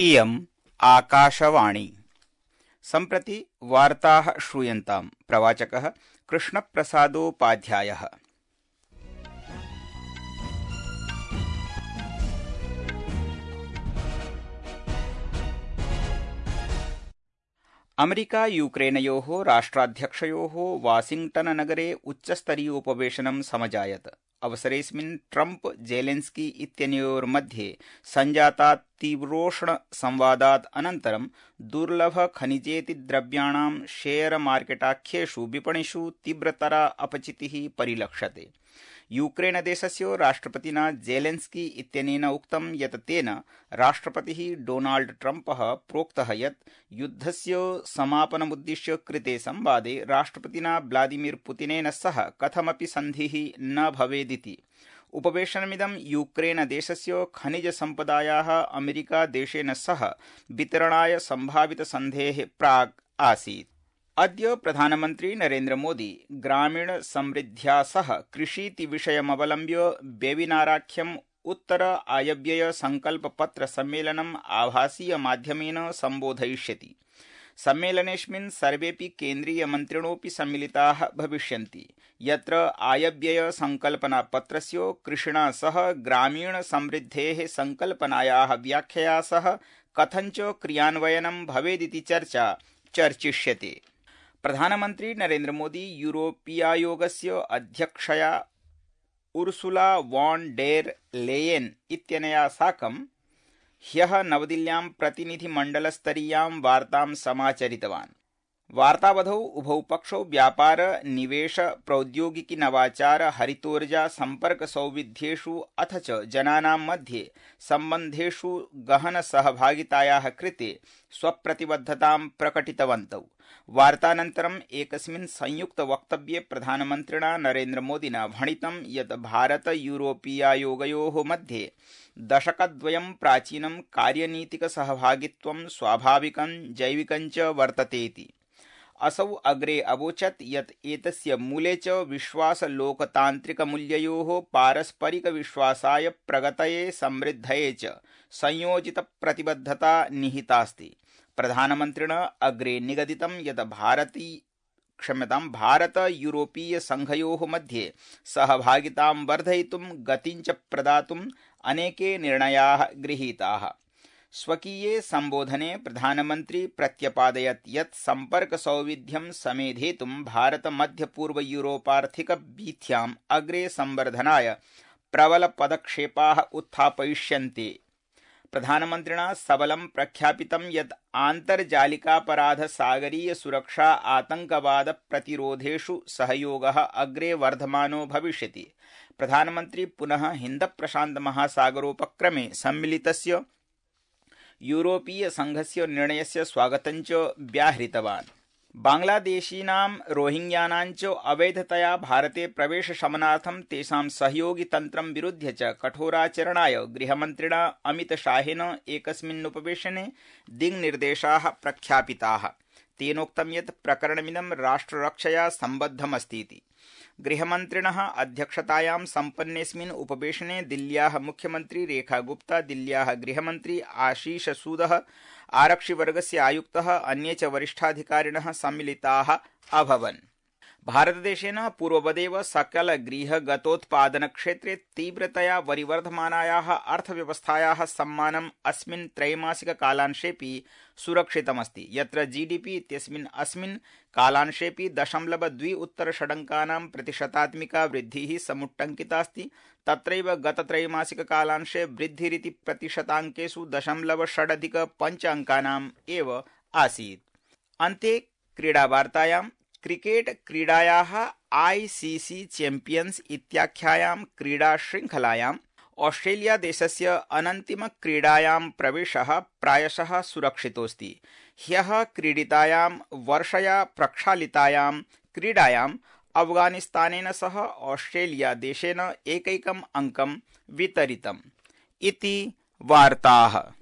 इयम् आकाशवाणी। सम्प्रति वार्ताः श्रूयन्ताम्। प्रवाचकः कृष्णप्रसादोपाध्यायः। अमेरिका यूक्रेनयोः राष्ट्राध्यक्षयोः वाशिंग्टन-नगरे उच्चस्तरीयोपवेशनं समजायत। अवसरेऽस्मिन् ट्रम्प जेलेन्स्की इत्यनयोर्मध्ये सञ्जातात् तीव्रोष्णसंवादात् अनन्तरं दुर्लभखनिजेति द्रव्याणां शेयर मार्केटाख्येषु विपणिषु तीव्रतरा अपचितिः परिलक्ष्यते। यूक्रेनदेशस्य राष्ट्रपतिना जेलेन्स्की इत्यनेन उक्तं यत् तेन राष्ट्रपतिः डोनाल्ड ट्रम्पः प्रोक्तः यत् युद्धस्य समापनमुद्दिश्य कृते संवादे राष्ट्रपतिना व्लादिमीर पुतिनेन सह कथमपि सन्धिः न भवेदिति। उपवेशनमिदं यूक्रेनदेशस्य खनिजसम्पदायाः अमेरिकादेशेन सह वितरणाय सम्भावितसन्धेः प्राक् आसीत्। अद्य प्रधानमन्त्री नरेन्द्र मोदी ग्रामीण समृद्ध्या सह कृषीति विषयमवलम्ब्य वेबिनाराख्यम् उत्तर आयव्यय संकल्पपत्र सम्मेलनम् आभासीय माध्यमेन सम्बोधयिष्यति। सम्मेलनेऽस्मिन् सर्वेपि केन्द्रीयमन्त्रिणोऽपि सम्मिलिताः भविष्यन्ति, यत्र आयव्यय संकल्पनापत्रस्य कृषिणा सह ग्रामीण समृद्धेः संकल्पनायाः व्याख्यया सह कथञ्च क्रियान्वयनं भवेदिति चर्चा चर्चिष्यते। प्रधानमन्त्री नरेन्द्र मोदी यूरोपीयायोगस्य अध्यक्षया उर्सुला वॉन डेर लेयेन् इत्यनया साकं ह्यः नवदिल्ल्यां प्रतिनिधिमण्डलस्तरीयां वार्तां समाचरितवान्। वार्तावधौ उभौ पक्षौ व्यापार, निवेश, प्रौद्योगिकी, नवाचार, हरितोर्जा, सम्पर्क सौविध्येषु अथ च जनानां मध्ये सम्बन्धेषु गहन सहभागितायाः कृते स्वप्रतिबद्धतां प्रकटितवन्तौ। वार्तानन्तरम् एकस्मिन् संयुक्त वक्तव्ये प्रधानमन्त्रिणा नरेन्द्र मोदिना भणितं यत् भारत यूरोपीयायोगयोः मध्ये दशकद्वयं प्राचीनं कार्यनीतिक सहभागित्वं स्वाभाविकं जैविकं च वर्ततेति। असौ अग्रे अवोचत् यत् एतस्य मूले च विश्वासलोकतान्त्रिकमूल्ययोः पारस्परिकविश्वासाय प्रगतये समृद्धये च संयोजितप्रतिबद्धता निहितास्ति। प्रधानमन्त्रिणा अग्रे निगदितं यत् भारत यूरोपीय संघयोः मध्ये सहभागितां वर्धयितुं गतिं च प्रदातुं अनेके निर्णयाः गृहीताः। स्वकीये संबोधने प्रधानमन्त्री प्रत्यपादयत् यत् सम्पर्कसौविध्यं समेधेतुं भारत मध्यपूर्व यूरोपार्थिक वीथ्याम् अग्रे संवर्धनाय प्रबलपदक्षेपाः उत्थापयिष्यन्ते। प्रधानमन्त्रिणा सबलं प्रख्यापितं यत् आन्तर्जालिकापराध, सागरीय सुरक्षा, आतंकवाद प्रतिरोधेषु सहयोगः अग्रे वर्धमानो भविष्यति। प्रधानमन्त्री पुनः हिन्द प्रशान्त महासागरोपक्रमे सम्मिलितस्य यूरोपीय संघस्य निर्णयस्य स्वागतं च व्याहृतवान्। बांग्लादेशीनां रोहिंग्यानां च अवैधतया भारते प्रवेशशमनार्थं तेषां सहयोगितन्त्रं विरुध्य च कठोराचरणाय गृहमन्त्रिणा अमितशाहेन एकस्मिन्नुपवेशने दिङ्निर्देशाः प्रख्यापिताः। तेनोक्तं यत् प्रकरणमिदं राष्ट्ररक्षया सम्बद्धमस्तीति। गृहमन्त्रिणः अध्यक्षतायां सम्पन्नेऽस्मिन् उपवेशने दिल्ल्याः मुख्यमन्त्री रेखा गुप्ता, दिल्ल्याः गृहमन्त्री आशीष सूदः, आरक्षिवर्गस्य आयुक्तः, अन्ये च वरिष्ठाधिकारिणः सम्मिलिताः अभवन्। भारतदेशेन पूर्ववदेव सकलगृहगतोत्पादनक्षेत्रे तीव्रतया वरिवर्धमानायाः अर्थव्यवस्थायाः सम्मानम् अस्मिन् त्रैमासिककालांशेऽपि सुरक्षितमस्ति, यत्र जीडीपी इत्यस्मिन् अस्मिन् कालांशेऽपि 0.2% वृद्धिः समुट्टङ्कितास्ति। तत्रैव गतत्रैमासिककालांशे वृद्धिरिति प्रतिशताङ्केषु 0.6 एव आसीत्। अन्ते क्रीडावार्तायां क्रिकेट क्रीडायाः ICC चैम्पियन्स् इत्याख्यायां क्रीडाशृङ्खलायां ऑस्ट्रेलिया देशस्य अनन्तिमक्रीडायां प्रवेशः प्रायशः सुरक्षितोऽस्ति। ह्यः क्रीडितायां वर्षया प्रक्षालितायां क्रीडायां अफगानिस्तानेन सह ऑस्ट्रेलिया देशेन एकैकम् अङ्कं वितरितम्। इति वार्ताः।